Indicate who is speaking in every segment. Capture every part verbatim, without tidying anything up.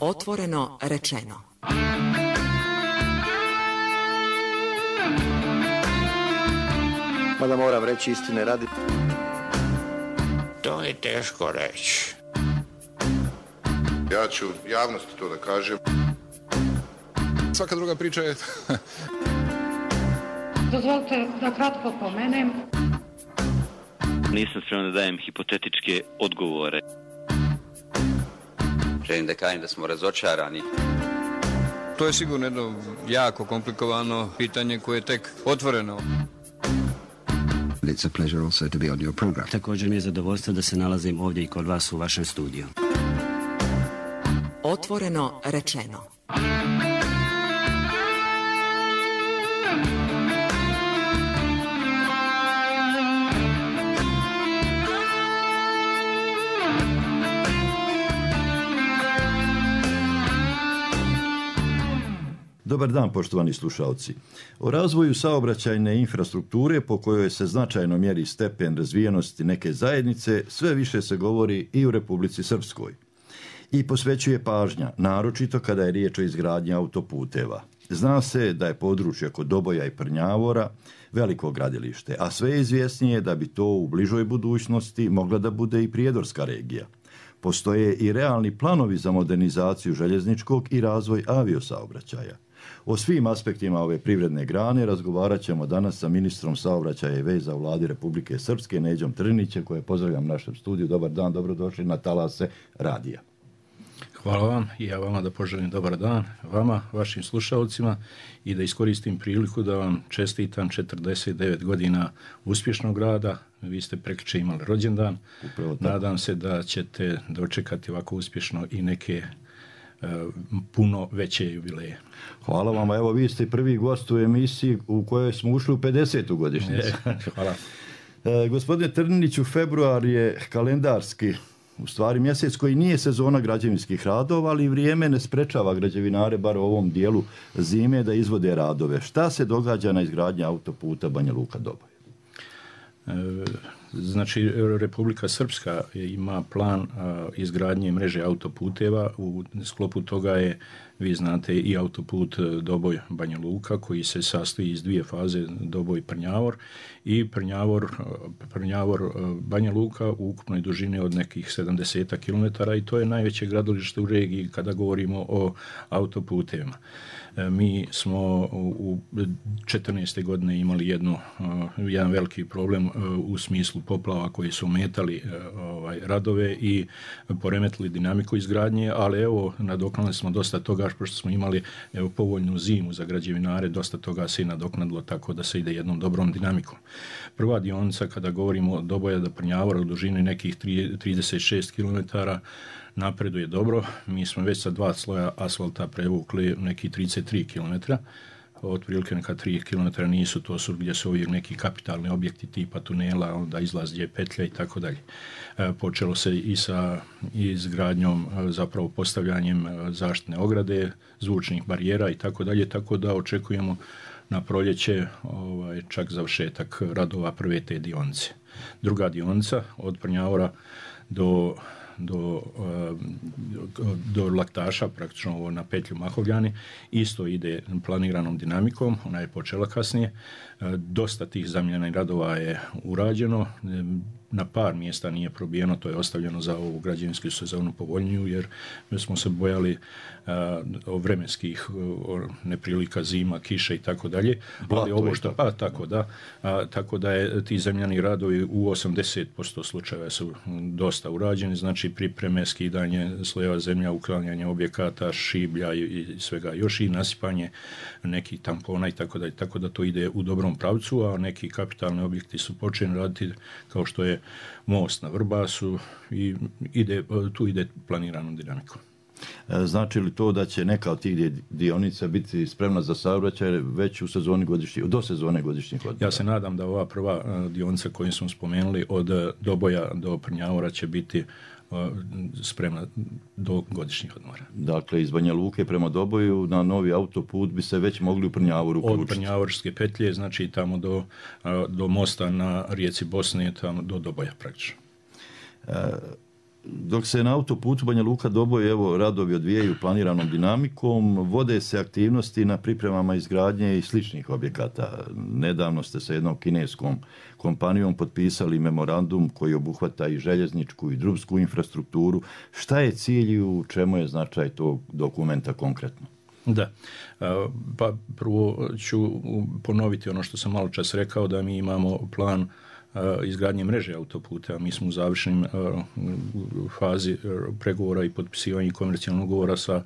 Speaker 1: Otvoreno rečeno.
Speaker 2: Mada moram reći istine radi.
Speaker 3: To je teško reći.
Speaker 4: Ja ću javnosti to da kažem.
Speaker 5: Svaka druga priča je...
Speaker 6: Dozvolite da kratko pomenem.
Speaker 7: Nisam spreman da dajem hipotetičke odgovore.
Speaker 8: Želim da kažem da smo razočarani.
Speaker 5: To je sigurno jedno jako komplikovano pitanje koje je tek otvoreno.
Speaker 9: It's a pleasure also to be on your program.
Speaker 10: Također mi je zadovoljstvo da se nalazim ovdje i kod vas u vašem studiju.
Speaker 1: Otvoreno rečeno.
Speaker 11: Dobar dan, poštovani slušalci. O razvoju saobraćajne infrastrukture po kojoj se značajno mjeri stepen razvijenosti neke zajednice sve više se govori i u Republici Srpskoj. I posvećuje pažnja, naročito kada je riječ o izgradnji autoputeva. Zna se da je područje kod Doboja i Prnjavora veliko gradilište, a sve je izvjesnije da bi to u bližoj budućnosti mogla da bude i prijedorska regija. Postoje i realni planovi za modernizaciju željezničkog i razvoj aviosaobraćaja. O svim aspektima ove privredne grane razgovarat ćemo danas sa ministrom saobraćaja i veza u Vladi Republike Srpske, Neđom Trnićem, koje pozdravljam u našem studiju. Dobar dan, dobrodošli na talase radija.
Speaker 12: Hvala vam i ja vama da poželim dobar dan, vama, vašim slušalcima i da iskoristim priliku da vam čestitam četrdeset devet godina uspješnog rada. Vi ste prekjučer imali rođendan. Nadam se da ćete dočekati ovako uspješno i neke uh, puno veće jubileje.
Speaker 11: Hvala vam. Evo, vi ste prvi gost u emisiji u kojoj smo ušli u pedesetu godišnjicu.
Speaker 12: Hvala.
Speaker 11: E, gospodine Trniniću, februar je kalendarski u stvari mjesec koji nije sezona građevinskih radova, ali vrijeme ne sprečava građevinare, bar u ovom dijelu zime, da izvode radove. Šta se događa na izgradnji autoputa Banja Luka-Doboj?
Speaker 12: E, znači, Republika Srpska ima plan a, izgradnje mreže autoputeva. U sklopu toga je, vi znate, i autoput Doboj-Banja Luka, koji se sastoji iz dvije faze, Doboj-Prnjavor i Prnjavor, Prnjavor-Banja Luka u ukupnoj dužini od nekih sedamdeset kilometara i to je najveće gradilište u regiji kada govorimo o autoputevima. E, mi smo u četrnaeste godine imali jedno, jedan veliki problem u smislu poplava koji su ometali ovaj, radove i poremetili dinamiku izgradnje, ali evo, nadoknali smo dosta toga, pošto smo imali evo, povoljnu zimu za građevinare, dosta toga se i nadoknadilo tako da se ide jednom dobrom dinamikom. Prva dionica, kada govorimo od Doboja do Prnjavora u dužini nekih trideset šest kilometara, napreduje dobro. Mi smo već sa dva sloja asfalta prevukli neki trideset tri kilometra. Otprilike neka tri kilometra nisu, to su gdje su uvijek neki kapitalni objekti tipa tunela, onda izlaz gdje je petlja i tako dalje. Počelo se i sa izgradnjom, zapravo postavljanjem zaštitne ograde, zvučnih barijera i tako dalje, tako da očekujemo na proljeće ovaj, čak završetak radova prve te dionice. Druga dionica od Prnjavora do do, do Laktaša, praktično na petlju Mahovljani, isto ide planiranom dinamikom, ona je počela kasnije. Dosta tih zamjenih radova je urađeno, na par mjesta nije probijeno, to je ostavljeno za ovu građevinsku sezonu povoljniju, jer mi smo se bojali o vremenskih o neprilika, zima, kiše i tako dalje. Ali ovo što, pa tako da, a, tako da je ti zemljani radovi u osamdeset posto slučajeva su dosta urađeni, znači pripreme, skidanje slojeva zemlja, uklanjanje objekata, šiblja i, i svega još i nasipanje nekih tampona i tako dalje, tako da to ide u dobrom pravcu, a neki kapitalni objekti su počeli raditi kao što je most na Vrbasu i ide, tu ide planiranom dinamikom.
Speaker 11: Znači li to da će neka od tih dionica biti spremna za saobraćaj već u sezoni godišnjih, do sezone godišnjih odmora?
Speaker 12: Ja se nadam da ova prva dionica koju smo spomenuli od Doboja do Prnjavora će biti spremna do godišnjih odmora.
Speaker 11: Dakle, iz Banja Luke prema Doboju na novi autoput bi se već mogli u Prnjavoru uključiti.
Speaker 12: Od Prnjavorske petlje, znači tamo do, do mosta na rijeci Bosne, tamo do Doboja praktično.
Speaker 11: E, dok se na autoputu Banja Luka Doboj evo radovi odvijaju planiranom dinamikom, vode se aktivnosti na pripremama izgradnje i sličnih objekata. Nedavno ste sa jednom kineskom kompanijom potpisali memorandum koji obuhvata i željezničku i drumsku infrastrukturu. Šta je cilj i u čemu je značaj tog dokumenta konkretno?
Speaker 12: Da, pa prvo ću ponoviti ono što sam malo čas rekao, da mi imamo plan izgradnje mreže autoputa. Mi smo u završnim fazi pregovora i potpisivanja komercijalnog ugovora sa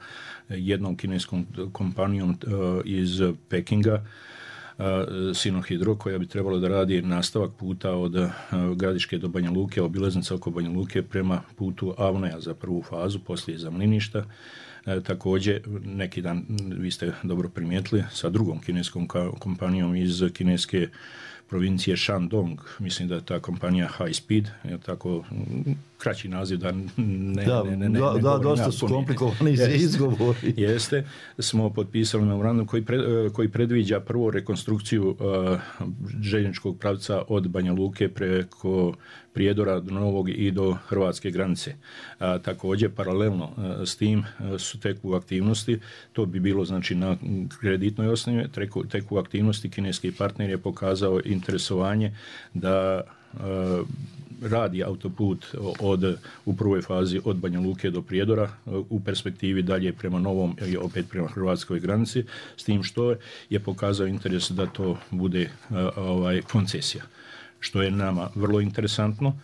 Speaker 12: jednom kineskom kompanijom iz Pekinga, Sinohydro, koja bi trebalo da radi nastavak puta od Gradiške do Banja Luke, obilaznica oko Banja Luke prema putu Avnoja za prvu fazu, poslije za Mliništa. E, također, neki dan, vi ste dobro primijetili, sa drugom kineskom kompanijom iz kineske provincije Shandong, mislim da je ta kompanija High Speed, je tako kraći naziv da ne
Speaker 11: da,
Speaker 12: ne, ne, ne,
Speaker 11: da,
Speaker 12: ne
Speaker 11: da dosta su komplikovani za izgovori.
Speaker 12: Jeste, smo potpisali memorandum koji, pred, koji predviđa prvo rekonstrukciju uh, željezničkog pravca od Banja Luke preko Prijedora do Novog i do hrvatske granice. A, također, paralelno a, s tim a, su teku aktivnosti, to bi bilo znači na kreditnoj osnovi, teku, teku aktivnosti kineski partner je pokazao interesovanje da a, radi autoput od, u prvoj fazi od Banja Luke do Prijedora, u perspektivi dalje prema Novom i opet prema hrvatskoj granici, s tim što je pokazao interes da to bude a, ovaj, koncesija, što je nama vrlo interesantno,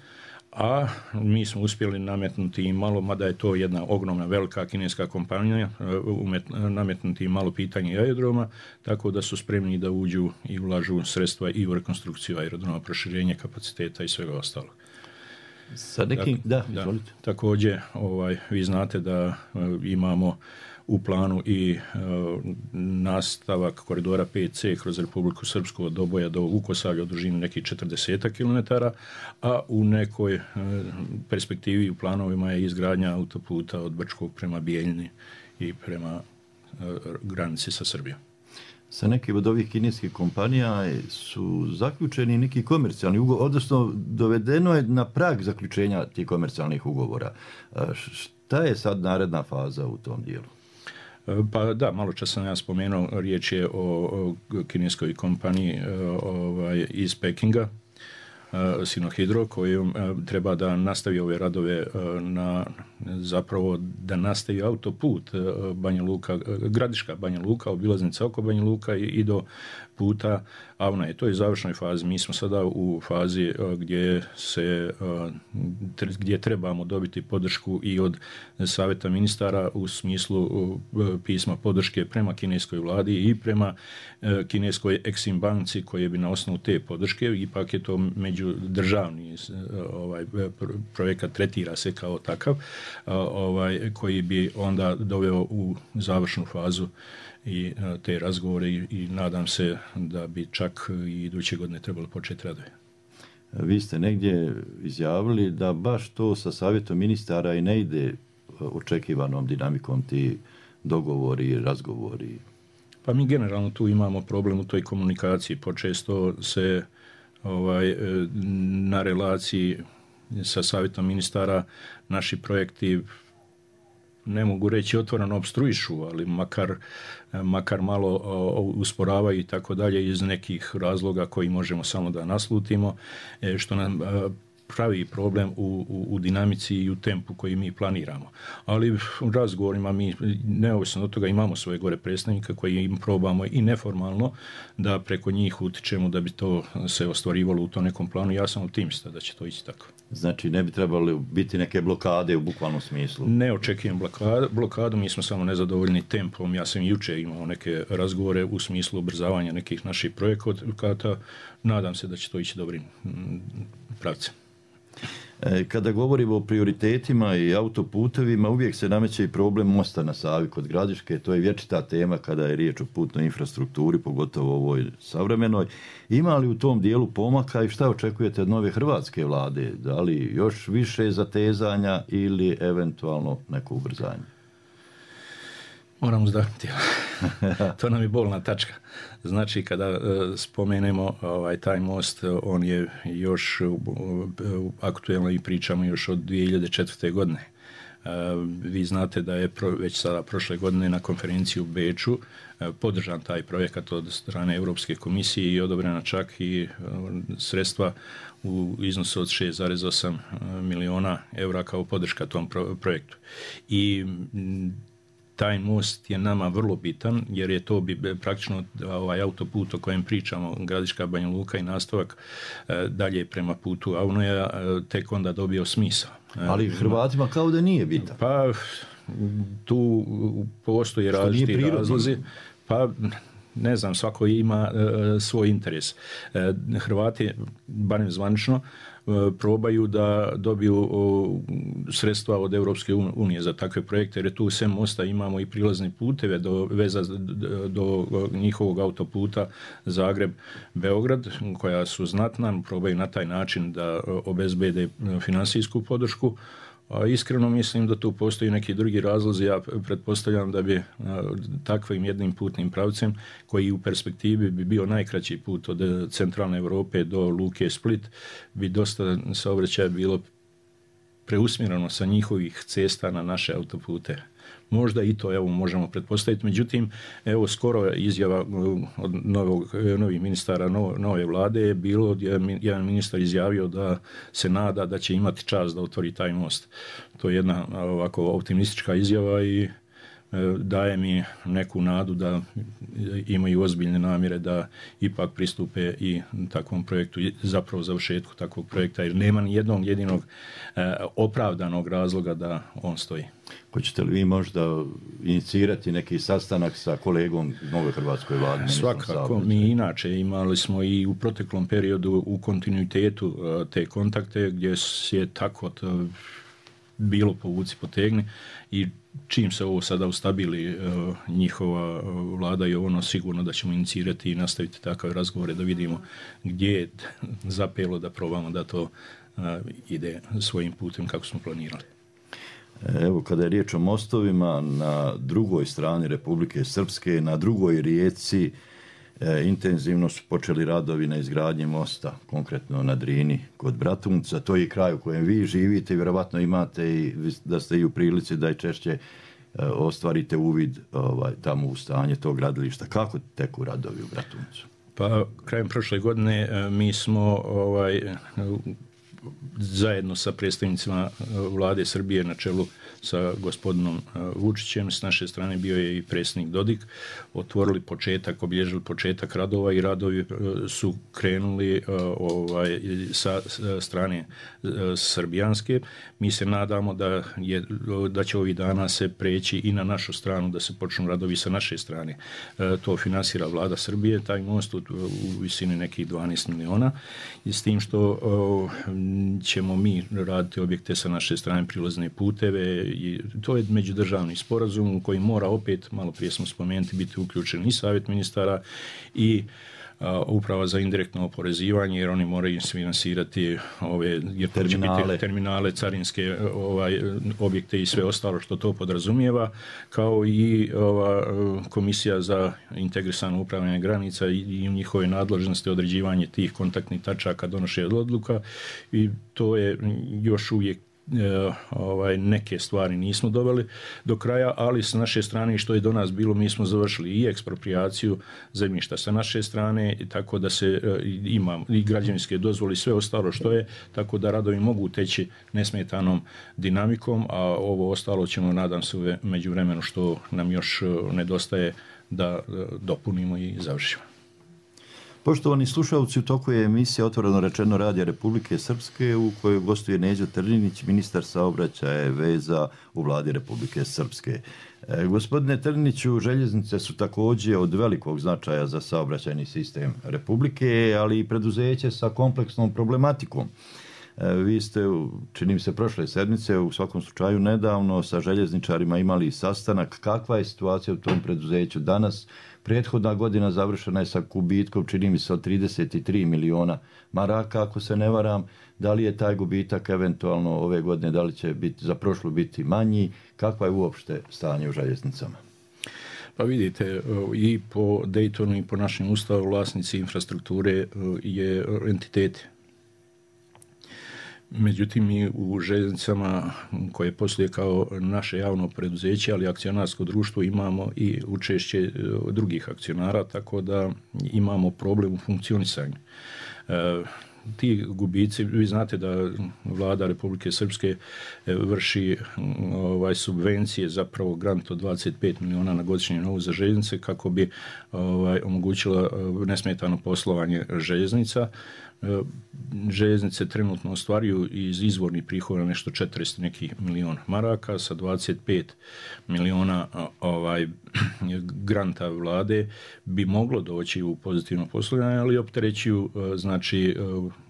Speaker 12: a mi smo uspjeli nametnuti im malo, mada je to jedna ogromna velika kineska kompanija, umet, nametnuti im malo pitanje aerodroma, tako da su spremni da uđu i ulažu sredstva i u rekonstrukciju aerodroma, proširenje kapaciteta i svega ostalog.
Speaker 11: Sa nekim, tak, da, da,
Speaker 12: također, ovaj, vi znate da uh, imamo u planu i uh, nastavak koridora pet ce kroz Republiku Srpsku od Doboja do Vukosavlja u dužini nekih četrdeset kilometara, a u nekoj uh, perspektivi u planovima je izgradnja autoputa od Brčkog prema Bijeljini i prema uh, granici sa Srbijom.
Speaker 11: Sa nekim od ovih kineskih kompanija su zaključeni neki komercijalni ugovor, odnosno dovedeno je na prag zaključenja tih komercijalnih ugovora. Šta je sad naredna faza u tom dijelu?
Speaker 12: Pa da, malo čas sam ja spomenuo, riječ je o, o kineskoj kompaniji ovaj, iz Pekinga, Sinohydro, koji treba da nastavi ove radove na zapravo da nastavi autoput Banja Luka, Gradiška Banja Luka, obilaznica oko Banja Luka i, i do puta Avnoje. To je u završnoj fazi. Mi smo sada u fazi gdje se gdje trebamo dobiti podršku i od Savjeta ministara u smislu pisma podrške prema kineskoj vladi i prema kineskoj Exim banci, koje bi na osnovu te podrške, ipak je to međudržavni ovaj projekat, tretira se kao takav, ovaj koji bi onda doveo u završnu fazu i te razgovore i, i nadam se da bi čak i iduće godine trebalo početi radove.
Speaker 11: Vi ste negdje izjavili da baš to sa savjetom ministara i ne ide očekivanom dinamikom ti dogovori i razgovori.
Speaker 12: Pa mi generalno tu imamo problem u toj komunikaciji. Počesto se ovaj, na relaciji sa savjetom ministara naši projekti, ne mogu reći otvoreno opstruišu, ali makar, makar malo usporavaju i tako dalje iz nekih razloga koji možemo samo da naslutimo, što nam pravi problem u, u, u dinamici i u tempu koji mi planiramo. Ali u razgovorima mi, neovisno od toga, imamo svoje gore predstavnika koji im probamo i neformalno da preko njih utičemo da bi to se ostvarivalo u tom nekom planu. Ja sam optimista da će to ići tako.
Speaker 11: Znači ne bi trebali biti neke blokade u bukvalnom smislu?
Speaker 12: Ne očekujem blokadu, blokadu, mi smo samo nezadovoljni tempom. Ja sam jučer imao neke razgovore u smislu ubrzavanja nekih naših projekata. Nadam se da će to ići dobrim pravcem.
Speaker 11: Kada govorimo o prioritetima i autoputevima, uvijek se nameće i problem mosta na Savi kod Gradiške. To je vječita tema kada je riječ o putnoj infrastrukturi, pogotovo ovoj savremenoj. Ima li u tom dijelu pomaka i šta očekujete od nove hrvatske vlade? Da li još više zatezanja ili eventualno neko ubrzanje?
Speaker 12: Moram uzdahnuti. To nam je bolna tačka. Znači, kada uh, spomenemo ovaj, taj most, on je još uh, aktuelno i pričamo još od dvije hiljade četvrte. godine. Uh, vi znate da je pro, već sada prošle godine na konferenciji u Beču uh, podržan taj projekat od strane Europske komisije i odobrena čak i uh, sredstva u iznosu od šest zarez osam miliona eura kao podrška tom pro, projektu. I m, taj most je nama vrlo bitan jer je to bi praktično ovaj autoput o kojem pričamo, Gradiška Banja Luka i nastavak e, dalje prema putu Aunoja, e, tek onda dobio smisao.
Speaker 11: Ali Hrvatima kao da nije bitan.
Speaker 12: Pa tu postoje različiti razlozi. Pa ne znam, svako ima e, svoj interes. E, Hrvati, barem zvanično, probaju da dobiju sredstva od Europske unije za takve projekte, jer tu sem mosta imamo i prilazne puteve do veza do njihovog autoputa Zagreb-Beograd, koja su znatna, probaju na taj način da obezbede finansijsku podršku. A iskreno mislim da tu postoji neki drugi razlozi. Ja pretpostavljam da bi a, takvim jednim putnim pravcem, koji u perspektivi bi bio najkraći put od centralne Europe do luke Split, bi dosta saobraćaja bilo preusmjereno sa njihovih cesta na naše autopute. Možda i to evo možemo pretpostaviti. Međutim, evo skoro izjava od novog, novih ministara no, nove vlade je bilo, jedan ministar izjavio da se nada da će imati čast da otvori taj most. To je jedna ovako optimistička izjava i daje mi neku nadu da imaju ozbiljne namjere da ipak pristupe i takvom projektu, zapravo završetku takvog projekta, jer nema ni jednog jedinog opravdanog razloga da on stoji.
Speaker 11: Hoćete li vi možda inicirati neki sastanak sa kolegom nove hrvatskoj vlade?
Speaker 12: Svakako, mi inače imali smo i u proteklom periodu u kontinuitetu te kontakte gdje je tako bilo povuci potegni i čim se ovo sada ustabili uh, njihova vlada i ono sigurno da ćemo inicirati i nastaviti takve razgovore da vidimo gdje je zapelo da probamo da to uh, ide svojim putem kako smo planirali.
Speaker 11: Evo, kada je riječ o mostovima, na drugoj strani Republike Srpske, na drugoj rijeci, e, intenzivno su počeli radovi na izgradnji mosta, konkretno na Drini kod Bratunca. To je kraj u kojem vi živite i vjerovatno imate i da ste i u prilici da i češće e, ostvarite uvid ovaj, tamo u stanje tog gradilišta. Kako teku radovi u Bratuncu?
Speaker 12: Pa, krajem prošle godine e, mi smo ovaj, zajedno sa predstavnicima vlade Srbije na čelu sa gospodinom Vučićem, s naše strane bio je i predsjednik Dodik, otvorili početak, obilježili početak radova i radovi su krenuli ovaj, sa strane srbijanske. Mi se nadamo da, je, da će ovih dana se preći i na našu stranu, da se počnu radovi sa naše strane. To finansira vlada Srbije, taj most u, u visini nekih dvanaest miliona i s tim što ćemo mi raditi objekte sa naše strane, prilazne puteve i to je međudržavni sporazum u koji mora opet, malo prije smo spomenuti, biti uključen i savjet ministara i a, uprava za indirektno oporezivanje, jer oni moraju finansirati ove jer terminale. Biti terminale, carinske ovaj, objekte i sve ostalo što to podrazumijeva, kao i ova komisija za integrisano upravljanje granica i, i njihove nadležnosti određivanje tih kontaktnih tačaka, donošenja odluka i to je još uvijek E, ovaj, neke stvari nismo doveli do kraja, ali s naše strane što je do nas bilo, mi smo završili i eksproprijaciju zemljišta sa naše strane, tako da se e, ima i građevinske dozvole i sve ostalo što je, tako da radovi mogu teći nesmetanom dinamikom, a ovo ostalo ćemo, nadam se, u međuvremenu što nam još nedostaje da e, dopunimo i završimo.
Speaker 11: Poštovani slušalci, u toku je emisija Otvoreno rečeno Radija Republike Srpske u kojoj gostuje Neđo Trninić, ministar saobraćaja i veza u vladi Republike Srpske. E, gospodine Trniniću, željeznice su također od velikog značaja za saobraćajni sistem Republike, ali i preduzeće sa kompleksnom problematikom. E, vi ste, čini mi se, prošle sedmice, u svakom slučaju nedavno, sa željezničarima imali sastanak. Kakva je situacija u tom preduzeću danas? Prethodna godina završena je sa gubitkom, čini mi se, od trideset tri miliona maraka, ako se ne varam. Da li je taj gubitak eventualno ove godine, da li će biti, za prošlu biti manji? Kakva je uopšte stanje u željeznicama?
Speaker 12: Pa vidite, i po Daytonu i po našem ustavu vlasnici infrastrukture je entiteti. Međutim, mi u željeznicama koje posluje kao naše javno preduzeće, ali akcionarsko društvo, imamo i učešće drugih akcionara, tako da imamo problem u funkcionisanju. E, ti gubici, vi znate da vlada Republike Srpske vrši ovaj, subvencije, zapravo grant od dvadeset pet miliona na godišnji nivou za željeznice kako bi ovaj, omogućila nesmetano poslovanje željeznica. Željeznice trenutno ostvaruju iz izvornih prihoda nešto četrdeset nekih miliona maraka, sa dvadeset pet miliona ovaj, granta vlade bi moglo doći u pozitivno poslovanje, ali opterećuju znači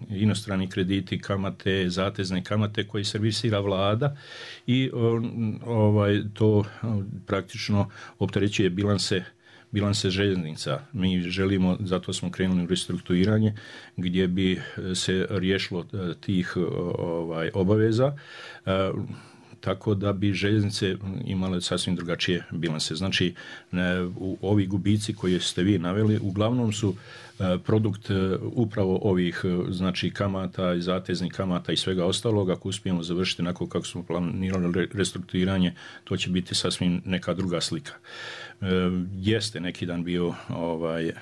Speaker 12: inostrani krediti, kamate, zatezne kamate koje servisira vlada i ovaj, to praktično opterećuje bilanse bilanse željeznica. Mi želimo, zato smo krenuli u restrukturiranje gdje bi se riješilo tih ovaj, obaveza, tako da bi željeznice imale sasvim drugačije bilanse. Znači, u ovi gubici koje ste vi naveli uglavnom su produkt upravo ovih znači kamata i zateznih kamata i svega ostalog. Ako uspijemo završiti onako kako smo planirali restrukturiranje, to će biti sasvim neka druga slika. Jeste neki dan bio ovaj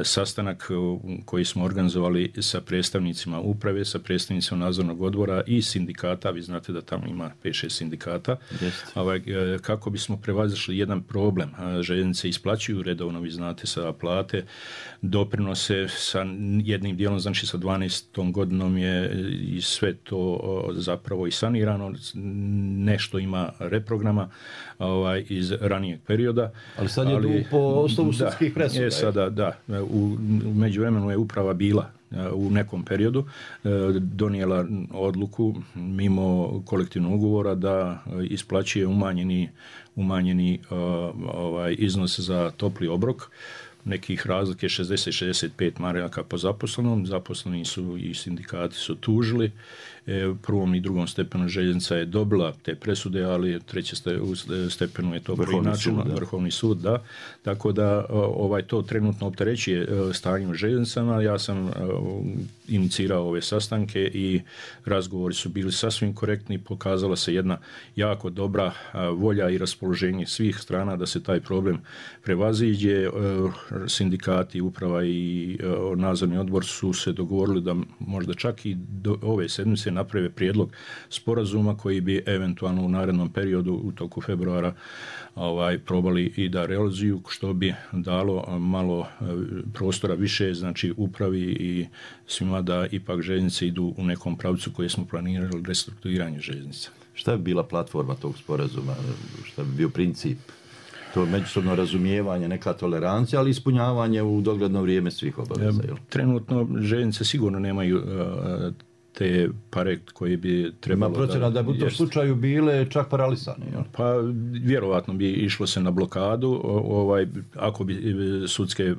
Speaker 12: sastanak koji smo organizovali sa predstavnicima uprave, sa predstavnicima nadzornog odbora i sindikata. Vi znate da tamo ima pet šest sindikata. Ovaj, kako bismo prevazišli jedan problem. Željeznice isplaćuju redovno, vi znate, sa plate, doprinose sa jednim dijelom, znači sa dvanaestom godinom je i sve to zapravo i sanirano. Nešto ima reprograma ovaj, iz ranijeg perioda.
Speaker 11: Ali sad je ali, po osnovu sudskih presuda.
Speaker 12: Je sada, da. U međuvremenu je uprava bila u nekom periodu donijela odluku mimo kolektivnog ugovora da isplaćuje umanjeni, umanjeni ovaj, iznos za topli obrok. Nekih razlike šezdeset do šezdeset pet maraka po zaposlenom. Zaposleni su i sindikati su tužili. Prvom i drugom stepenu željeznica je dobila te presude, ali treće stepenu je to preinačeno, Vrhovni sud, da. Tako da ovaj to trenutno opterećuje stanje u željeznicama. Ja sam inicirao ove sastanke i razgovori su bili sasvim korektni. Pokazala se jedna jako dobra volja i raspoloženje svih strana da se taj problem prevaziđe. Sindikati, uprava i nadzorni odbor su se dogovorili da možda čak i do ove sedmice naprave prijedlog sporazuma koji bi eventualno u narednom periodu u toku februara ovaj, probali i da realizuju, što bi dalo malo prostora više, znači upravi i svima da ipak željeznice idu u nekom pravcu koje smo planirali restrukturiranje željeznica.
Speaker 11: Šta bi bila platforma tog sporazuma? Šta bi bio princip? To međusobno razumijevanje, neka tolerancija, ali ispunjavanje u dogledno vrijeme svih obaveza.
Speaker 12: Trenutno željeznice sigurno nemaju uh, te pare koje bi trebalo...
Speaker 11: Ima procena da bi u tom slučaju bile čak paralisane. Ja?
Speaker 12: Pa vjerovatno bi išlo se na blokadu, ovaj, ako bi sudske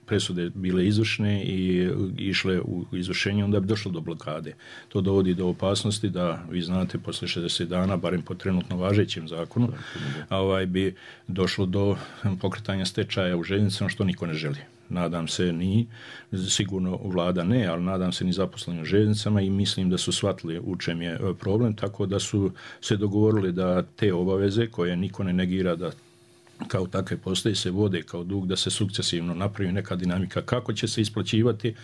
Speaker 12: presude bile izvršne i išle u izvršenje, onda bi došlo do blokade. To dovodi do opasnosti da, vi znate, posle šezdeset dana, barem po trenutno važećem zakonu, ovaj, bi došlo do pokretanja stečaja u željeznicama, što niko ne želi. Nadam se ni, sigurno vlada ne, ali nadam se ni zaposleni u željeznicama i mislim da su shvatili u čem je problem, tako da su se dogovorili da te obaveze koje niko ne negira da kao takve postoje se vode kao dug, da se sukcesivno napravi neka dinamika kako će se isplaćivati,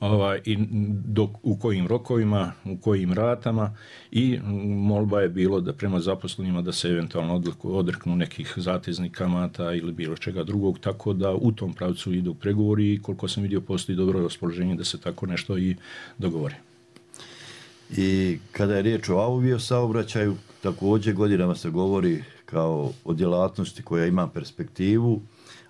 Speaker 12: ovaj, i dok, u kojim rokovima, u kojim ratama, i molba je bilo da prema zaposlenima da se eventualno odreknu nekih zateznih kamata ili bilo čega drugog, tako da u tom pravcu idu pregovori i koliko sam vidio postoji dobro raspoloženje da se tako nešto i dogovori.
Speaker 11: I kada je riječ o aviosaobraćaju, također godinama se govori kao o djelatnosti koja ima perspektivu,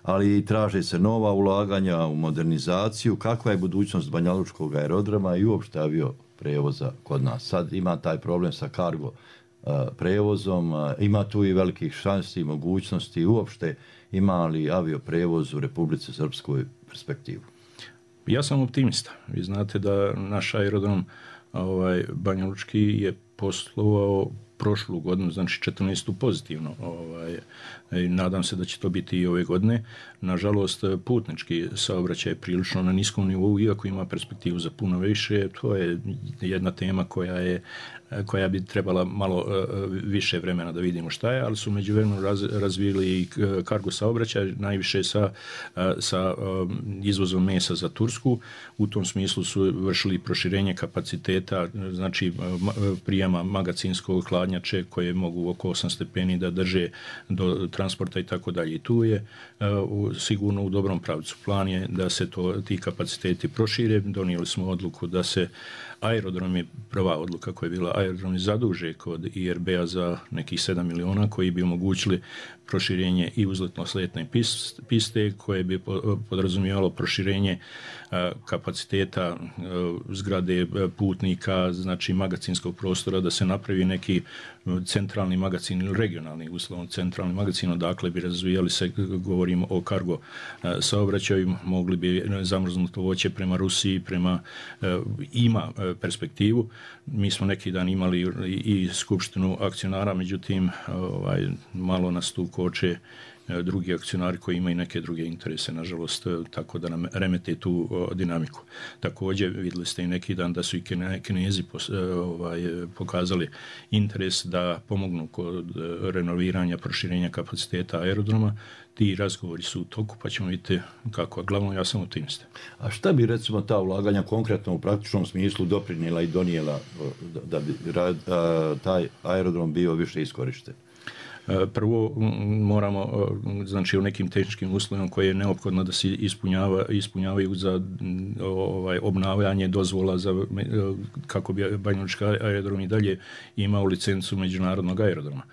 Speaker 11: ali traže se nova ulaganja u modernizaciju. Kakva je budućnost Banjalučkog aerodroma i uopšte avio prevoza kod nas? Sad ima taj problem sa kargo uh, prevozom, uh, ima tu i velikih šansi i mogućnosti. Uopšte ima li avio prevoz u Republici Srpskoj perspektivu?
Speaker 12: Ja sam optimista. Vi znate da naš aerodrom ovaj, Banjalučki je poslovao prošlu godinu, znači četrnaestu pozitivno. Ovaj, i nadam se da će to biti i ove godine. Nažalost, putnički saobraćaj je prilično na niskom nivou, iako ima perspektivu za puno više. To je jedna tema koja je koja bi trebala malo uh, više vremena da vidimo šta je, ali su međuvremenu raz, razvili i kargo saobraćaj, najviše sa, uh, sa uh, izvozom mesa za Tursku. U tom smislu su vršili proširenje kapaciteta, znači uh, prijema magacinskog hladnjače koje mogu oko osam stepeni da drže do transporta i tako dalje. I tu je uh, sigurno u dobrom pravcu. Plan je da se to, ti kapaciteti prošire. Donijeli smo odluku da se aerodrom je prva odluka koja je bila, aerodromi zaduže kod I R B-a za nekih sedam miliona koji bi omogućili proširenje i uzletno-sletne piste koje bi podrazumijevalo proširenje kapaciteta zgrade putnika, znači magacinskog prostora, da se napravi neki centralni magazin ili regionalni, uslovno centralni magazin, odakle bi razvijali se, govorimo o kargo saobraćaju, mogli bi zamrznuto voće prema Rusiji, prema ima perspektivu. Mi smo neki dan imali i skupštinu akcionara, međutim ovaj, malo nas tu koče drugi akcionari koji imaju neke druge interese, nažalost, tako da nam remete tu o, dinamiku. Također, vidjeli ste i neki dan da su i Kinezi pos, ovaj, pokazali interes da pomognu kod renoviranja, proširenja kapaciteta aerodroma. Ti razgovori su u toku, pa ćemo vidjeti kako. Glavno, ja sam optimista.
Speaker 11: A šta bi, recimo, ta ulaganja konkretno u praktičnom smislu doprinijela i donijela da bi taj aerodrom bio više iskorišten?
Speaker 12: Prvo moramo, znači u nekim tehničkim uslovima koje je neophodno da se ispunjava, ispunjavaju za ovaj, obnavljanje dozvola za, kako bi Banjalučki aerodrom i dalje imao licencu međunarodnog aerodroma.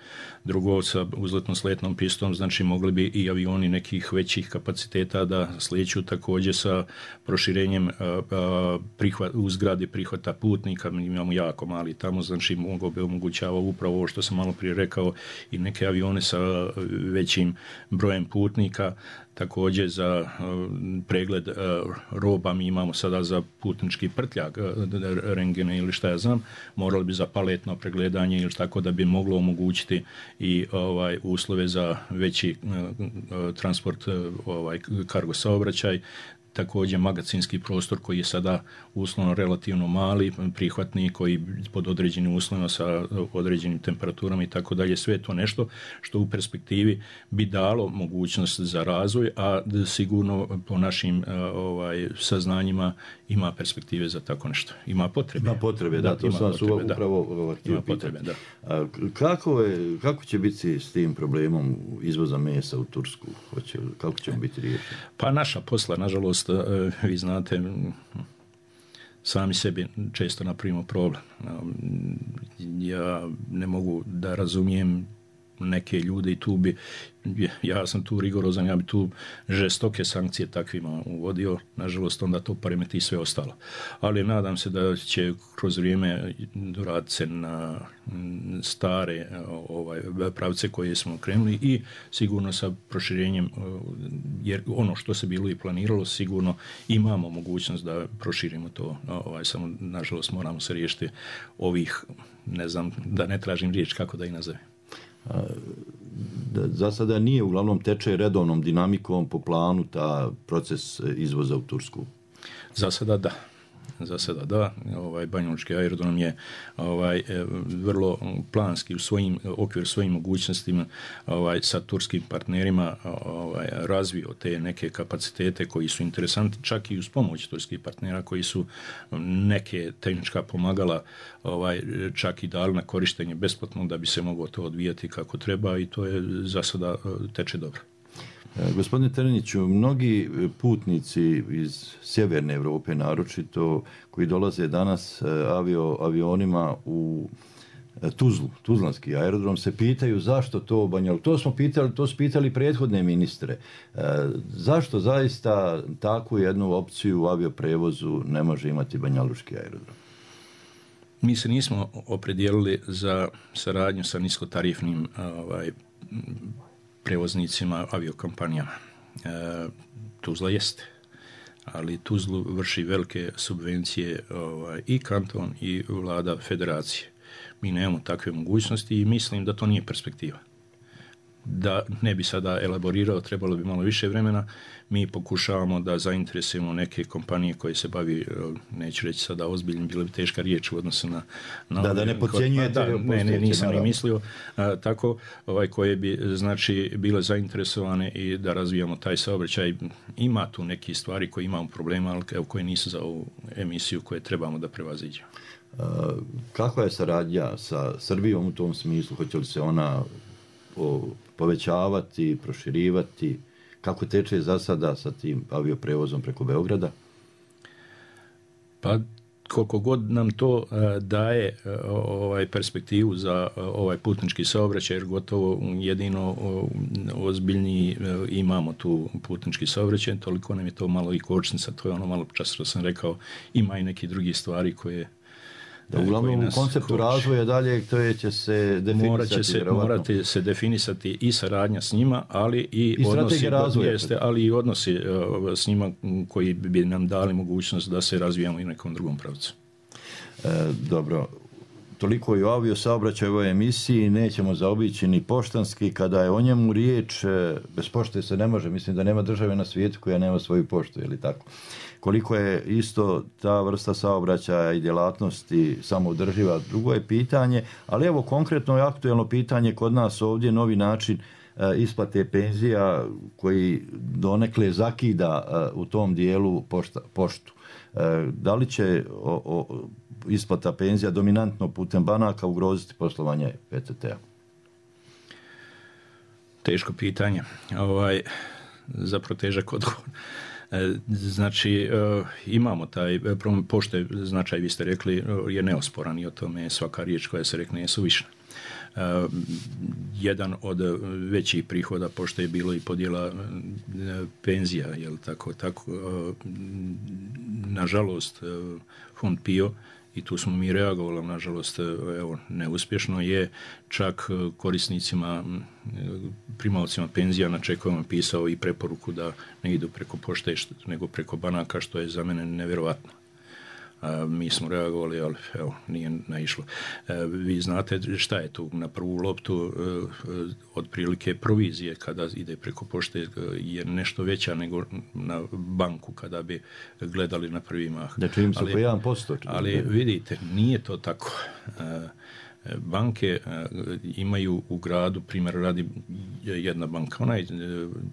Speaker 12: Drugo, sa uzletno-sletnom pistom, znači mogli bi i avioni nekih većih kapaciteta da slijeću, također sa proširenjem prihvat, u zgradi prihvata putnika. Mi imamo jako mali tamo, znači mogo bi omogućavao upravo ovo što sam malo prije rekao, i neke avione sa većim brojem putnika. Također za uh, pregled uh, roba mi imamo sada za putnički prtljag, uh, rengene ili šta ja znam, morali bi za paletno pregledanje ili tako da bi moglo omogućiti i ovaj uslove za veći uh, uh, transport, uh, ovaj kargo saobraćaj. Također magacinski prostor koji je sada uslovno relativno mali, prihvatni, koji pod određenim uslovima sa određenim temperaturama i tako dalje, sve je to nešto što u perspektivi bi dalo mogućnost za razvoj, a sigurno po našim ovaj, saznanjima ima perspektive za tako nešto. Ima potrebe.
Speaker 11: Ima potrebe, da, da to sam su upravo htio pitati. Da. A kako, je, kako će biti s tim problemom izvoza mesa u Tursku? Hoće, kako će on biti riješen?
Speaker 12: Pa naša posla, nažalost, vi znate, sami sebi često napravimo problem. Ja ne mogu da razumijem neke ljude i tu bi, ja sam tu rigorozan, ja bi tu žestoke sankcije takvima uvodio, nažalost onda to poremeti sve ostalo. Ali nadam se da će kroz vrijeme doraditi se na stare ovaj, pravce koje smo krenuli i sigurno sa proširenjem, jer ono što se bilo i planiralo, sigurno imamo mogućnost da proširimo to, ovaj, samo nažalost moramo se riješiti ovih, ne znam, da ne tražim riječ kako da ih nazovem.
Speaker 11: Za sada nije, uglavnom teče redovnom dinamikom po planu ta proces izvoza u Tursku.
Speaker 12: Za sada da. Za sada da. Ovaj Banjalučki aerodrom je ovaj vrlo planski u svojim okviru svojim mogućnostima ovaj sa turskim partnerima ovaj razvio te neke kapacitete koji su interesantni čak i uz pomoć turskih partnera koji su neke tehnička pomagala ovaj čak i dali na korištenje besplatno da bi se moglo to odvijati kako treba i to je za sada teče dobro.
Speaker 11: Gospodine Tereniću, mnogi putnici iz sjeverne Europe naročito koji dolaze danas avio, avionima u Tuzlu, Tuzlanski aerodrom, se pitaju zašto to Banjalučki. To smo pitali, to su pitali prethodne ministre. Zašto zaista takvu jednu opciju u avioprevozu ne može imati Banjalučki aerodrom?
Speaker 12: Mi se nismo opredijelili za saradnju sa niskotarifnim ovaj, prevoznicima, aviokompanijama. E, Tuzla jeste, ali Tuzlu vrši velike subvencije ovaj, i kanton i vlada federacije. Mi nemamo takve mogućnosti i mislim da to nije perspektiva. Da ne bi sada elaborirao, trebalo bi malo više vremena. Mi pokušavamo da zainteresujemo neke kompanije koje se bavi, neću reći sada ozbiljno, bila bi teška riječ u odnosu na... na
Speaker 11: da, da ne podcjenjujete.
Speaker 12: Da, ne, ne, nisam ni mislio. A, tako, ovaj, koje bi, znači, bile zainteresovane i da razvijamo taj saobraćaj. Ima tu neki stvari koje imamo problema, ali evo, koje nisu za ovu emisiju koje trebamo da prevaziđemo.
Speaker 11: Kakva je saradnja sa Srbijom u tom smislu? Hoće li se ona o, povećavati, proširivati? Kako teče za sada sa tim avioprevozom preko Beograda?
Speaker 12: Pa koliko god nam to uh, daje uh, ovaj perspektivu za uh, ovaj putnički saobraćaj, jer gotovo jedino uh, ozbiljniji uh, imamo tu putnički saobraćaj, toliko nam je to malo i kočnica, to je ono malo čas što sam rekao, ima i neki drugi stvari koje
Speaker 11: da, uglavnom u konceptu hoće. Razvoja dalje to je će se definisati.
Speaker 12: Morat će se, morate se definisati i saradnja s njima, ali i,
Speaker 11: I
Speaker 12: odnosi, jeste, ali i odnosi uh, s njima koji bi nam dali mogućnost da se razvijamo i u nekom drugom pravcu.
Speaker 11: E, dobro, toliko i o avio saobraćaju ovoj emisiji, nećemo zaobići ni poštanski, kada je o njemu riječ, bez pošte se ne može, mislim da nema države na svijetu koja nema svoju poštu, je li tako? Koliko je isto ta vrsta saobraćaja i djelatnosti samoodrživa, drugo je pitanje, ali evo konkretno je aktuelno pitanje kod nas ovdje, novi način e, isplate penzija koji donekle zakida e, u tom dijelu pošta, poštu. E, da li će o, o, isplata penzija dominantno putem banaka ugroziti poslovanje P T T-a?
Speaker 12: Teško pitanje. Ovaj, zapravo težak odgovor. Znači, imamo taj pošte, značaj, vi ste rekli, je neosporan i o tome je svaka riječ koja se rekne je suvišna. Jedan od većih prihoda pošte je bilo i podjela penzija, jel tako, tako, nažalost, fond P I O, i tu smo mi reagovali, nažalost, evo, neuspješno je čak korisnicima, primalcima penzija na čekovima pisao i preporuku da ne idu preko pošte nego preko banaka, što je za mene nevjerovatno. A, mi smo reagovali, ali evo, nije naišlo. E, vi znate šta je tu na prvu loptu, e, otprilike provizije kada ide preko pošte je nešto veća nego na banku kada bi gledali na prvi mah.
Speaker 11: Da čim su po jedan posto.
Speaker 12: Ali vidite, nije to tako. E, banke imaju u gradu, primjer radi jedna banka, onaj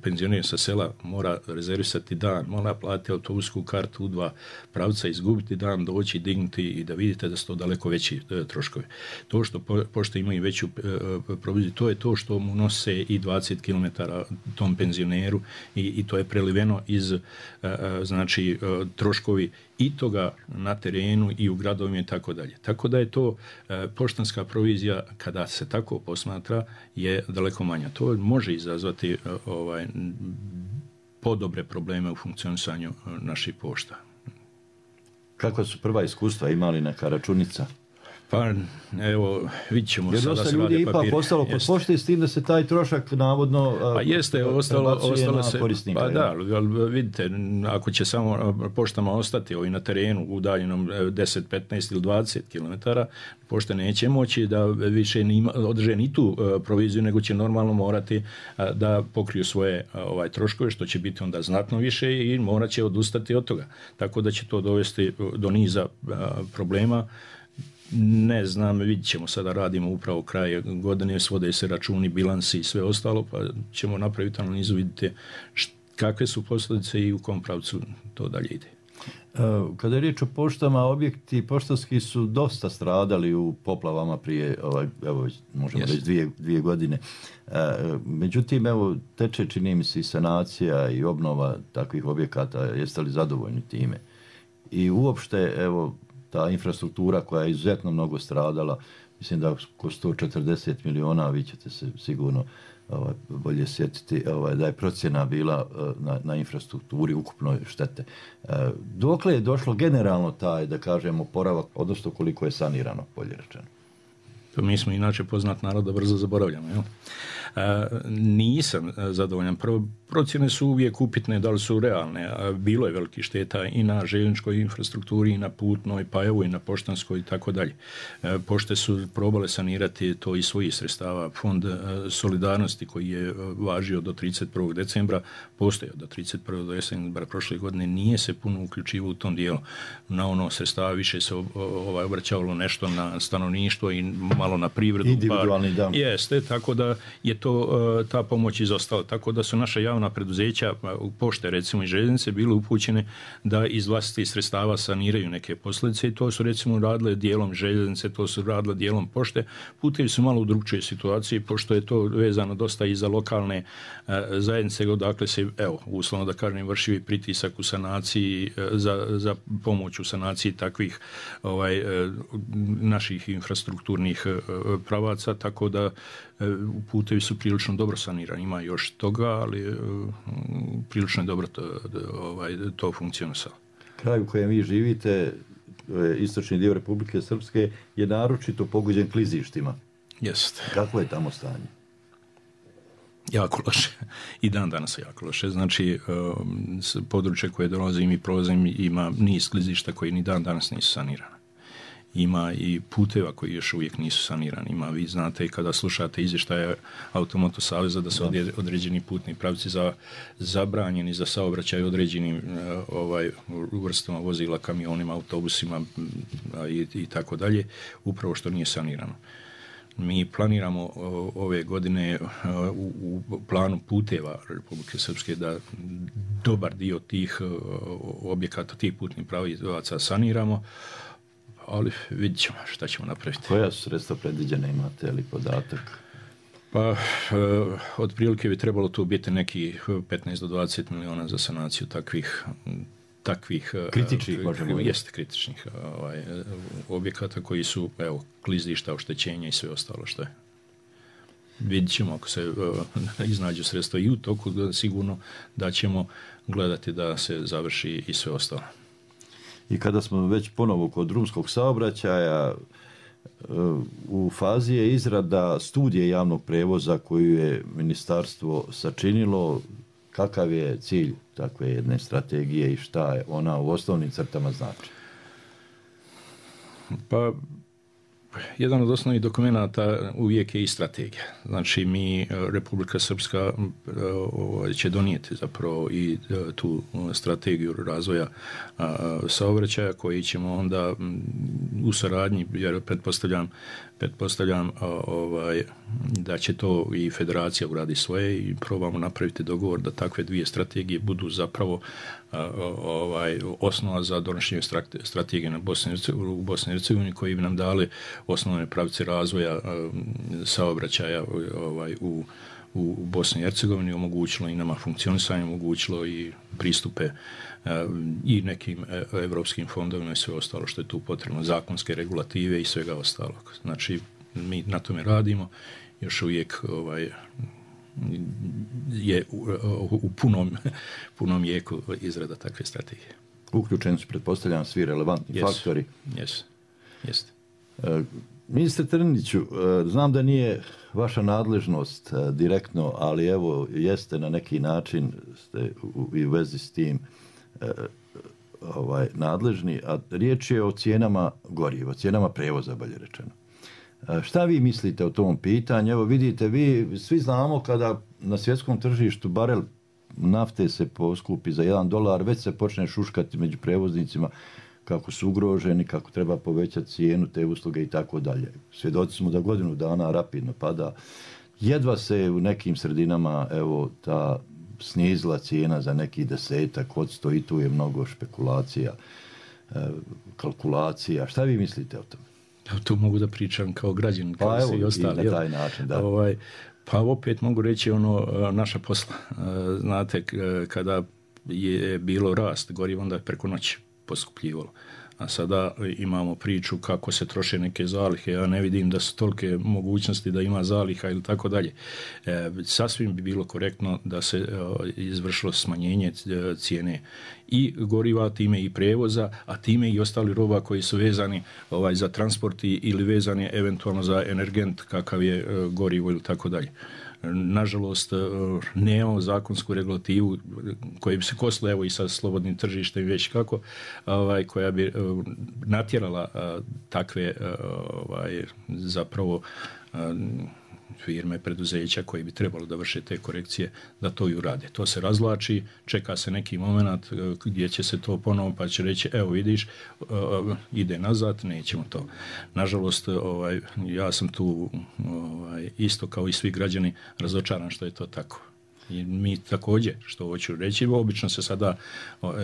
Speaker 12: penzioner sa sela mora rezervisati dan, mora platiti autobusku kartu u dva pravca, izgubiti dan, doći, dignuti i da vidite da su to daleko veći troškovi. To što pošte imaju veću proviziju, to je to što mu nose i dvadeset kilometara tom penzioneru i, i to je preliveno iz znači troškovi i toga na terenu i u gradovima i tako dalje. Tako da je to e, poštanska provizija, kada se tako posmatra, je daleko manja. To može izazvati e, ovaj, podobre probleme u funkcionisanju naših pošta.
Speaker 11: Kakva su prva iskustva imali neka računica?
Speaker 12: Pa, evo, vidit ćemo
Speaker 11: jer
Speaker 12: sada
Speaker 11: da
Speaker 12: se
Speaker 11: se ljudi
Speaker 12: rade
Speaker 11: ipak
Speaker 12: papiri.
Speaker 11: ostalo kod pošte s tim da se taj trošak navodno
Speaker 12: pa jeste, ostalo, ostalo se,
Speaker 11: korisnika.
Speaker 12: Pa da, ali vidite, ako će samo poštama ostati ovi na terenu udaljenom deset, petnaest ili dvadeset kilometara, pošte neće moći da više nima, održe ni tu proviziju, nego će normalno morati da pokriju svoje ovaj troškove, što će biti onda znatno više i morat će odustati od toga. Tako da će to dovesti do niza problema. Ne znam, vidjet ćemo, sada radimo upravo kraj godine, svode se računi, bilansi i sve ostalo, pa ćemo napraviti analizu, vidite kakve su posljedice i u kom pravcu to dalje ide.
Speaker 11: Kada je riječ o poštama, objekti poštanski su dosta stradali u poplavama prije, ovaj, evo, možemo yes. reći dvije, dvije godine. Međutim, evo, teče, čini mi se, i sanacija i obnova takvih objekata. Jeste li zadovoljni time? I uopšte, evo, ta infrastruktura koja je izuzetno mnogo stradala, mislim da oko sto četrdeset miliona, vi ćete se sigurno ovaj, bolje sjetiti, ovaj, da je procjena bila na, na infrastrukturi ukupnoj štete. E, dokle je došlo generalno taj, da kažemo, oporavak, odnosno koliko je sanirano, bolje rečeno?
Speaker 12: To mi smo inače poznat narod da brzo zaboravljamo. Jel? Nisam zadovoljan. Prvo, procjene su uvijek upitne da li su realne. Bilo je veliki šteta i na željezničkoj infrastrukturi i na putnoj, pa evo i na poštanskoj i tako dalje. Pošte su probale sanirati to iz svojih sredstava. Fond solidarnosti koji je važio do trideset prvog decembra, postojao do trideset prvog decembra prošle godine, nije se puno uključivao u tom dijelu. Na ono sredstava više se ovaj, obraćavalo nešto na stanovništvo i malo na privredu.
Speaker 11: Individualni dan.
Speaker 12: Jeste, tako da je to, ta pomoć izostala. Tako da su naša javna preduzeća, pošte recimo i željeznice, bile upućene da iz vlastitih sredstava saniraju neke posljedice i to su recimo radile dijelom željeznice, to su radile dijelom pošte. Putevi su malo u drugčijoj situaciji, pošto je to vezano dosta i za lokalne e, zajednice, odakle se, evo, uslovno da kažem, vrši pritisak u sanaciji, e, za, za pomoć u sanaciji takvih ovaj, e, naših infrastrukturnih e, pravaca, tako da e, putevi su prilično dobro sanirani. Ima još toga, ali e, prilično je dobro to, ovaj, to funkcionisalo.
Speaker 11: Kraj u kojem vi živite, istočni dio Republike Srpske, je naročito pogođen klizištima.
Speaker 12: Jeste.
Speaker 11: Kako je tamo stanje?
Speaker 12: Jako loše. I dan danas je jako loše. Znači, područje koje dolazim i prolazim ima niz klizišta koji ni dan danas nisu sanirane. Ima i puteva koji još uvijek nisu sanirani. Ima, vi znate, kada slušate izvještaje Automoto saveza da su određeni putni pravci za, zabranjeni za saobraćaj određenim ovaj, vrstama vozila, kamionima, autobusima i, i tako dalje, upravo što nije sanirano. Mi planiramo ove godine u, u planu puteva Republike Srpske da dobar dio tih objekata, tih putnih pravaca saniramo, ali vidjet ćemo šta ćemo napraviti.
Speaker 11: Koja su sredstva predviđena, imate li podatak?
Speaker 12: Pa, otprilike bi trebalo tu biti neki petnaest do dvadeset miliona za sanaciju takvih takvih
Speaker 11: kritičnih, možemo
Speaker 12: jeste kritičnih ovaj, objekata koji su, evo, klizišta, oštećenja i sve ostalo što je. Vidjet ćemo ako se uh, iznađu sredstva i u toku, sigurno da ćemo gledati da se završi i sve ostalo.
Speaker 11: I kada smo već ponovo kod drumskog saobraćaja, u fazi je izrada studije javnog prevoza koju je ministarstvo sačinilo. Kakav je cilj takve jedne strategije i šta je ona u osnovnim crtama znači?
Speaker 12: Pa, jedan od osnovnih dokumenata uvijek je i strategija. Znači, mi, Republika Srpska, će donijeti zapravo i tu strategiju razvoja saobraćaja koji ćemo onda u saradnji, jer pretpostavljam, pretpostavljam ovaj, da će to i federacija uradi svoje i probamo napraviti dogovor da takve dvije strategije budu zapravo ovaj, osnova za donošenje strategije na Bosni, u Bosni i Hercegovini koji bi nam dali osnovne pravce razvoja saobraćaja ovaj, u, u Bosni i Hercegovini, omogućilo i nama funkcionisanje, omogućilo i pristupe i nekim evropskim fondovima i sve ostalo što je tu potrebno, zakonske regulative i svega ostalog. Znači, mi na tome radimo, još uvijek ovaj, je u, u punom, punom jeku izrada takve strategije.
Speaker 11: Uključeni su, pretpostavljam, svi relevantni
Speaker 12: yes.
Speaker 11: faktori.
Speaker 12: Yes. Yes.
Speaker 11: Uh, ministre Trniću, uh, znam da nije vaša nadležnost uh, direktno, ali evo, jeste na neki način ste u, u vezi s tim uh, ovaj, nadležni, a riječ je o cijenama goriva, cijenama prevoza, bolje rečeno. Šta vi mislite o tom pitanju? Evo vidite, vi svi znamo kada na svjetskom tržištu barel nafte se poskupi za jedan dolar, već se počne šuškati među prevoznicima kako su ugroženi, kako treba povećati cijenu te usluge i tako dalje. Svjedoci smo da godinu dana rapidno pada. Jedva se u nekim sredinama evo ta snizila cijena za neki desetak odsto i tu je mnogo špekulacija, kalkulacija. Šta vi mislite o tome?
Speaker 12: Tu mogu da pričam kao građanin, kao
Speaker 11: pa
Speaker 12: se i ostali.
Speaker 11: I na taj način, da.
Speaker 12: Ovaj, pa opet mogu reći ono naša posla. Znate, kada je bilo rast goriva, onda je preko noći poskupljivalo. A sada imamo priču kako se troše neke zalihe. Ja ne vidim da su tolike mogućnosti da ima zaliha ili tako dalje. E, sasvim bi bilo korektno da se e, izvršilo smanjenje cijene i goriva, time i prevoza, a time i ostali roba koji su vezani ovaj, za transport ili vezani eventualno za energent kakav je gorivo ili tako dalje. Nažalost, nemamo zakonsku regulativu koja bi se kosila evo i sa slobodnim tržištem već kako, ovaj, koja bi natjerala takve ovaj, zapravo firme, preduzeća koji bi trebalo da vrše te korekcije, da to i urade. To se razvlači, čeka se neki moment gdje će se to ponovo, pa će reći, evo vidiš, ide nazad, nećemo to. Nažalost, ovaj, ja sam tu ovaj, isto kao i svi građani razočaran što je to tako. I mi također, što hoću reći, obično se sada,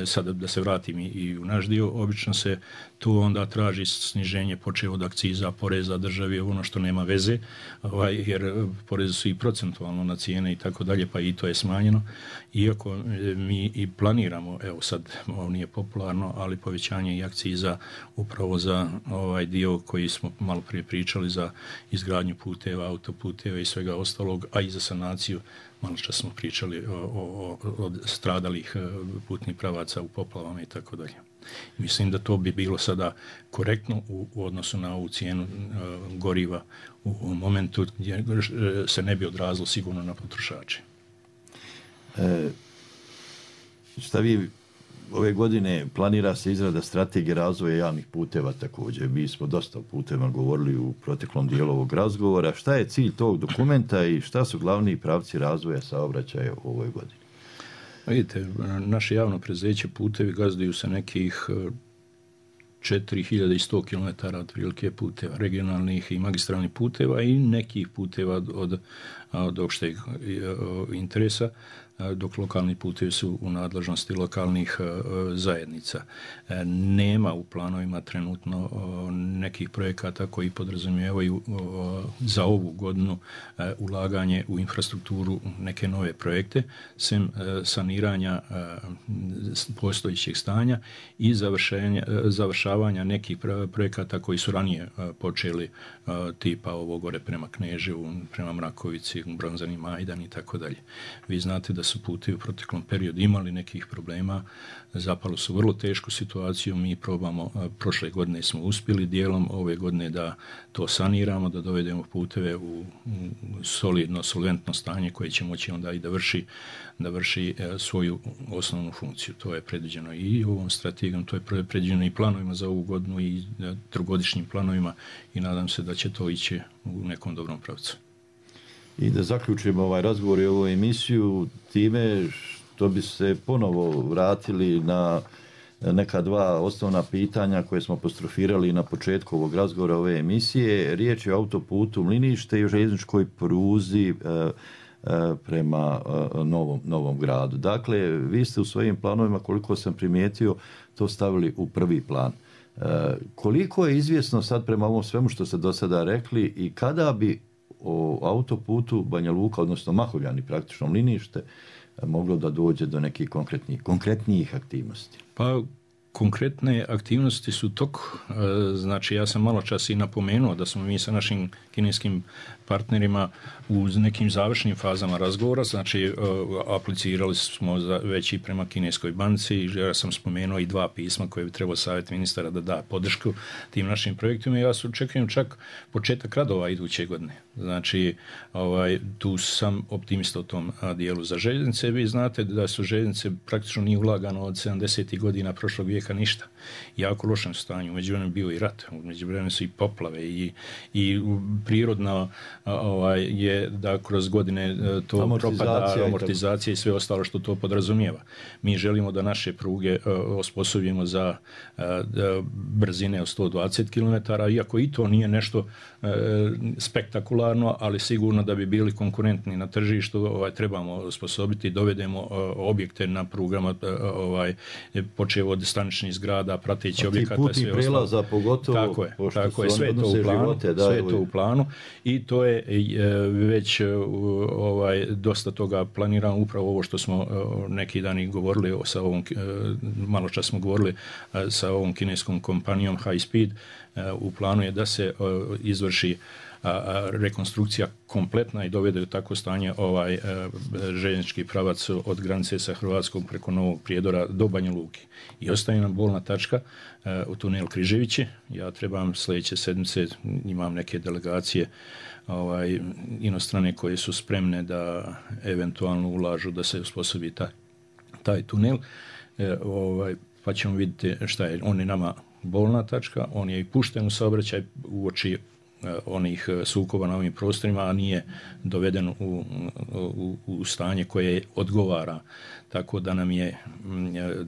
Speaker 12: sada da se vratim i u naš dio, obično se tu onda traži sniženje počev od akciza, poreza državi, ono što nema veze, ovaj, jer porezi su i procentualno na cijene i tako dalje, pa i to je smanjeno. Iako mi i planiramo, evo sad, ovo nije popularno, ali povećanje i akciza upravo za ovaj dio koji smo malo prije pričali za izgradnju puteva, autoputeva i svega ostalog, a i za sanaciju. Malo čas smo pričali o, o, o stradalih putnih pravaca u poplavama i tako dalje. Mislim da to bi bilo sada korektno u, u odnosu na ovu cijenu uh, goriva u, u momentu gdje se ne bi odrazilo sigurno na potrošače.
Speaker 11: E, šta vi ove godine planira se izrada strategije razvoja javnih puteva također. Mi smo dosta puteva govorili u proteklom dijelu ovog razgovora. Šta je cilj tog dokumenta i šta su glavni pravci razvoja saobraćaja u ovoj godini?
Speaker 12: Vidite, naše javno preduzeće putevi gazduju se nekih četiri hiljade sto kilometara otprilike puteva, regionalnih i magistralnih puteva i nekih puteva od, od opšteg interesa, dok lokalni putevi su u nadležnosti lokalnih zajednica. Nema u planovima trenutno nekih projekata koji podrazumijevaju za ovu godinu ulaganje u infrastrukturu, neke nove projekte, sem saniranja postojećeg stanja i završavanja nekih projekata koji su ranije počeli, tipa ovo gore prema Kneževu, prema Mrakovici, Bronzani Majdan i tako dalje. Vi znate da su putevi u proteklom periodu imali nekih problema, zapalo su vrlo tešku situaciju, mi probamo, prošle godine smo uspjeli dijelom ove godine da to saniramo, da dovedemo puteve u solidno, solventno stanje koje će moći onda i da vrši, da vrši svoju osnovnu funkciju. To je predviđeno i ovom strategijom, to je predviđeno i planovima za ovu godinu i trogodišnjim planovima i nadam se da će to ići u nekom dobrom pravcu.
Speaker 11: I da zaključimo ovaj razgovor i ovu emisiju time što bi se ponovo vratili na neka dva osnovna pitanja koje smo apostrofirali na početku ovog razgovora ove emisije. Riječ je o autoputu Mlinište i o željezničkoj pruzi e, e, prema e, novom, novom gradu. Dakle, vi ste u svojim planovima, koliko sam primijetio, to stavili u prvi plan. E, koliko je izvjesno sad prema ovom svemu što ste do sada rekli i kada bi o autoputu Banja Luka, odnosno Mahovljani, praktično Mlinište, moglo da dođe do nekih konkretnijih, konkretnijih aktivnosti?
Speaker 12: Pa, konkretne aktivnosti su tok. Znači, ja sam malo čas i napomenuo da smo mi sa našim kineskim partnerima u nekim završnim fazama razgovora, znači aplicirali smo za, već i prema kineskoj banci, ja sam spomenuo i dva pisma koje bi trebao savjet ministara da da podršku tim našim projektima i ja se očekujem čak početak radova iduće godine. Znači, ovaj, tu sam optimista u tom dijelu za željeznice. Vi znate da su željeznice praktično nije ulagano od sedamdesetih godina prošlog vijeka ništa. Jako lošem stanju. Međuvremenu bio i rat, međuvremenu su i poplave i, i prirodno ovaj, je da kroz godine to amortizacija propada, amortizacija i sve ostalo što to podrazumijeva. Mi želimo da naše pruge uh, osposobimo za uh, brzine od sto dvadeset kilometara, iako i to nije nešto uh, spektakularno, ali sigurno da bi bili konkurentni na tržištu, ovaj, trebamo osposobiti, dovedemo uh, objekte na prugama, uh, ovaj, počevo od staničnih zgrada, prateći objekata i sve
Speaker 11: ostalo. Pogotovo,
Speaker 12: tako je, tako je, sve je to u planu, živote, da, sve je to u planu i to je već ovaj, dosta toga planirano, upravo ovo što smo neki dani govorili sa ovom, malo čas smo govorili sa ovom kineskom kompanijom High Speed, u planu je da se izvrši a, a, rekonstrukcija kompletna i dovede u takvo stanje ovaj a, željeznički pravac od granice sa Hrvatskom preko Novog Prijedora do Banja Luke. I ostaje nam bolna tačka a, u tunel Križevići. Ja trebam sljedeće sedmice, imam neke delegacije ovaj, inostrane koje su spremne da eventualno ulažu da se usposobi taj, taj tunel. E, ovaj, pa ćemo vidjeti šta je. On je nama bolna tačka, on je i pušten u saobraćaj uoči uh, onih sukoba na ovim prostorima, a nije doveden u, u, u stanje koje odgovara. Tako da nam je uh,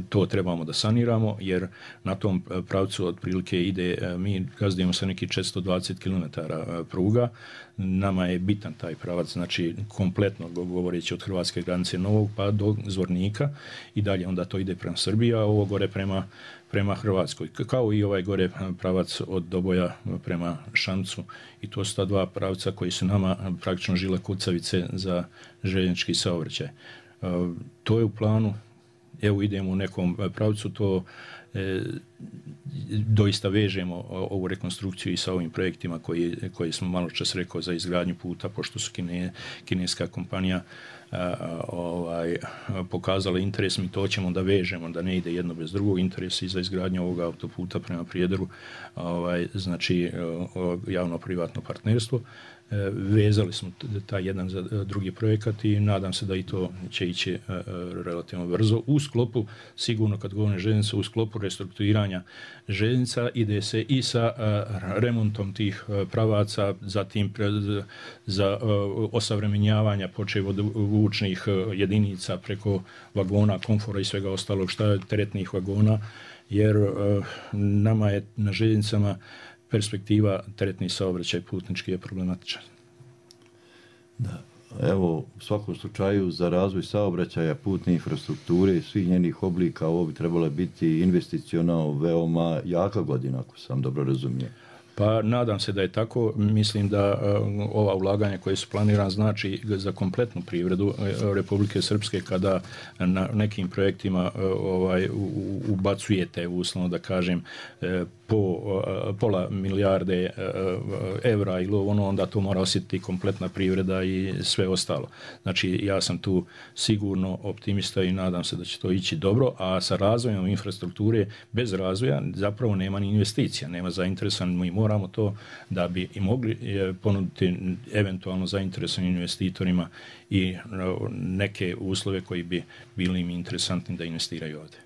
Speaker 12: to trebamo da saniramo, jer na tom pravcu otprilike ide, mi gazdujemo sa neki četiristo dvadeset kilometara pruga, nama je bitan taj pravac, znači kompletno govoreći od hrvatske granice Novog pa do Zvornika i dalje onda to ide prema Srbiji, a ovo gore prema, prema Hrvatskoj, kao i ovaj gore pravac od Doboja prema Šamcu, i to su ta dva pravca koji su nama praktično žila kucavice za željeznički saobraćaj. To je u planu. Evo idemo u nekom pravcu, to e, doista vežemo ovu rekonstrukciju i sa ovim projektima koji, koji smo malo čas rekao za izgradnju puta, pošto su kine, kineska kompanija a, ovaj, pokazala interes, mi to ćemo da vežemo, da ne ide jedno bez drugog. Interes i za izgradnju ovog autoputa prema Prijedoru, ovaj, znači javno-privatno partnerstvo. Vezali smo taj jedan za drugi projekat i nadam se da i to će ići relativno brzo. U sklopu, sigurno kad govorim željeznica, u sklopu restrukturiranja željeznica ide se i sa remontom tih pravaca, zatim za osavremenjavanja počev od vučnih jedinica preko vagona, komfora i svega ostalog šta je teretnih vagona, jer nama je na željeznicama perspektiva teretni saobraćaj putnički je problematičan.
Speaker 11: Da. Evo, u svakom slučaju za razvoj saobraćaja, putne infrastrukture i svih njenih oblika ovo bi trebalo biti investicionalno veoma jaka godina, ako sam dobro razumio.
Speaker 12: Pa nadam se da je tako. Mislim da uh, ova ulaganja koje su planirana znači za kompletnu privredu uh, Republike Srpske, kada na nekim projektima uh, ovaj, u, ubacujete, uslovno da kažem, uh, po uh, pola milijarde uh, evra ili ono, onda to mora osjetiti kompletna privreda i sve ostalo. Znači ja sam tu sigurno optimista i nadam se da će to ići dobro, a sa razvojem infrastrukture, bez razvoja zapravo nema ni investicija, nema zainteresan, mi moramo to da bi i mogli ponuditi eventualno zainteresovanim investitorima i neke uslove koji bi bili im interesantni da investiraju ovdje.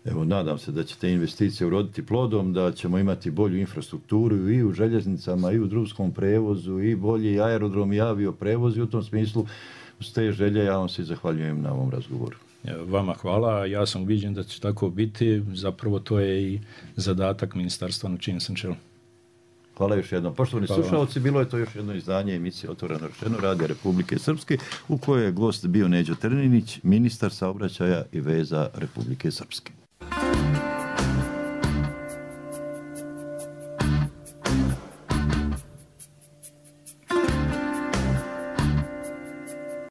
Speaker 11: Evo, nadam se da će te investicije uroditi plodom, da ćemo imati bolju infrastrukturu i u željeznicama i u drumskom prevozu i bolji aerodrom i avioprevoz, i u tom smislu s te želje ja vam se zahvaljujem na ovom razgovoru.
Speaker 12: Vama hvala, ja sam uviđen da će tako biti, zapravo to je i zadatak ministarstva na čijem sam čelu.
Speaker 11: Hvala još jednom. Poštovani slušalci, bilo je to još jedno izdanje emisije Otvoreno rečeno Radija Republike Srpske, u kojoj je gost bio Neđo Trninić, ministar saobraćaja i veza Republike Srpske.